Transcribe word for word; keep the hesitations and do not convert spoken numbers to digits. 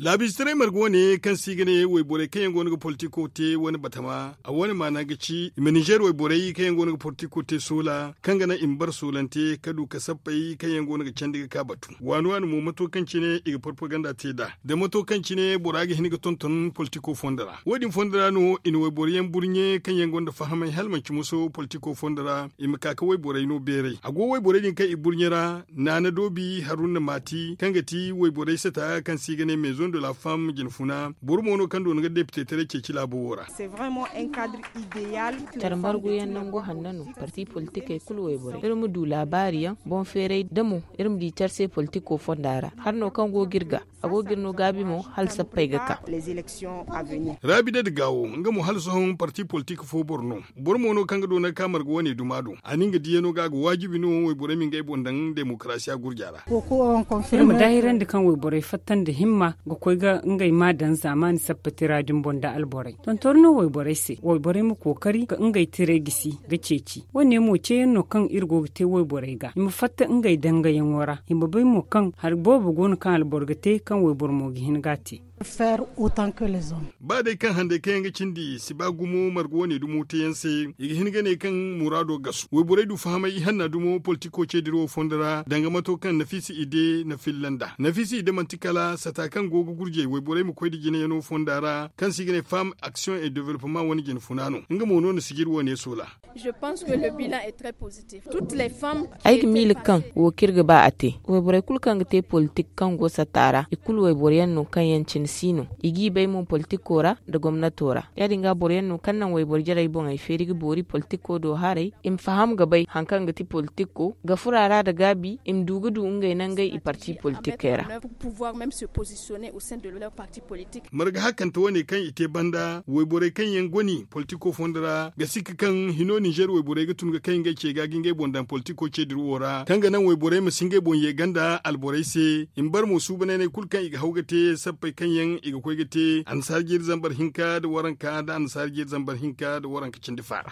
Laabiize taray marga wane kaŋ se i ga ne wayborey kaŋ yaŋ go no ga politiko te wane batama a wane maana ga ci i ma ninzeer wayborey kaŋ yaŋ go no ga politiko te soola kaŋ ga naŋ i ma bara soolante ka du ka sappey kaŋ yaŋ go no ga candi ga ka batu waani waani mo mato kaŋ cine i ga propaganda te nd'a da mato kaŋ cine bora ga hin ga tonton politiko fondo ra. Wo- din fondo ra no i na wayboro yaŋ burɲe kaŋ yaŋ gonda fahamay hala manci muso politiko fondo ra i ma ka ga wayborey no beeray a go wayborey din kaŋ i burɲe ra naana doobi haruna maati kaŋ ga ti wayborey sata kaŋ se i ga ne maison de la femme jinfuna boro mo no kaŋ doona ga depite taray ceeci laabo wo ra. Care margu yaŋ nangu hanno no parti politikey kulu wayborey iri ma du laabaari yaŋ boŋ feeray da mo iri ma di care se politiko fonda ra hari no kaŋ go ga iri ga a go ga iri no gaabi mo hala sappey ga ka. Raabi da dagaawo nga mo hala sohõ parti politik fo boro no boro mo no kaŋ ga doona ga ka marga wane duma do a na nga diyaŋo ga a ga waajibi no wayborey ma ngey boŋ daŋ demokarasiya gurja ra. Iri ma daahirandi kaŋ wayborey fatta nda himma ga koy ga ngey ma daŋ zaamaani sappatira din boŋ nda alborey tontor no wayborey se wayborey ma kookari ga ngey tiray gisi ga ceeci wo- ne mo ceeyaŋ no kaŋ iri go ga te wayborey ga i ma fatta ngey dangayaŋo ra i ma bay mo kaŋ hari boobo go no kaŋ alboro ga te kaŋ wayboro mo ga hin ga a te. Ba day kaŋ handay kaŋ yaŋ ga cindi si ba gumo marga wane dumo teeyaŋ se i ga hin ga ne kaŋ muraado gasu wayborey du fahamay ihanna dumo politiko ceediro fondo ra danga mato kaŋ nafiisa ide na filla nd'a nafiisa ide manti kala sata kaŋ go ga gurjay wayborey ma koy nda jinayaŋo fonda ra kaŋ se i ga ne femme action et developpement wane jina funa no nga mo no na sijir wane soola. Ay ga miila kaŋ wo kaŋ iri ga ba a te wayborey kulu kaŋ ga te politik kaŋ go satta ra i kulu wayboro yaŋ no kaŋ yaŋ cine si no i g'i bay mo politiko ra nda gomnato ra ya- din ga boro yaŋ no kaŋ naŋ wayboro jarey boŋey feeri ga boori politiko do haray i ma faham ga bay hari kaŋ ga ti politiko ga furo a ra nda gaabi i ma du ga du ngey nangey i parti politikey ra. Marga hakante wane kaŋ i te banda wayborey kaŋ yaŋ goni politiko fondo ra ga sikka kaŋ hino ninzeer wayborey ga tun ga kay ngey ce ga ga ngey boŋ daŋ politiko ceediro wo ra kaŋ ga naŋ wayborey ma si ngey boŋ ye ganda alborey se i ma bare mo suubananey kulu kaŋ i ga haw ga te sappey kaŋ yaŋ i ga koy ga te annasaara jeeri zambar hinka nda waranka nda annasaara jeeri zambar hinka nda waranka cindi faara.